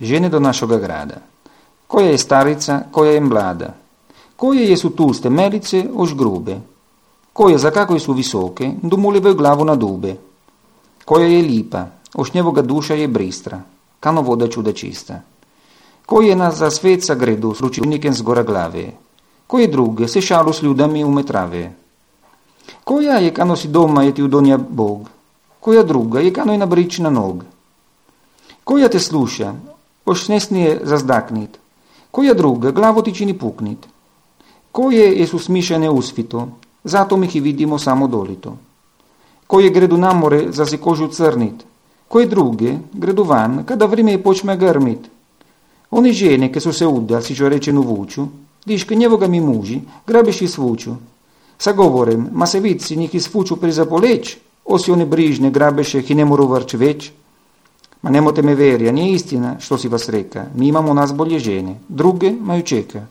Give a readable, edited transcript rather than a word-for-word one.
žene do našega grada. Koja je starica, koja je mlada. Koje jesu tuste melice ož grube. Koje za kako su visoke, dumulivaju glavu na dube. Koja je lipa, ož njevoga duša je bristra, kano voda čuda čista. Koje nas za svet sagredu s ručivnikem zgora glave. Koje druge se šalu s ljudami umetrave. Koja je kano si doma je ti udonja Bog. Koja druga je kano je nabrič na nog. Koja te sluša, ož snesnije zazdaknit. Koja druga glavo ti čini puknit. Koje jesu smišane usvito, zato mi ih vidimo samo dolito. Koje gredu na more za se kožu crnit. Koje druge gredu van kada vrime počme grmit. One žene che su se udda, si čo rečenu vuču, diške njevoga mi muži, grabeš i svuču. Sa govorem, ma se vici njih isfuču priza poleć, osi one brižne grabeše i ne moru vrč već. Ma nemote me verja, nije istina što si vas reka, mi imamo nas bolje žene, druge maju čeka.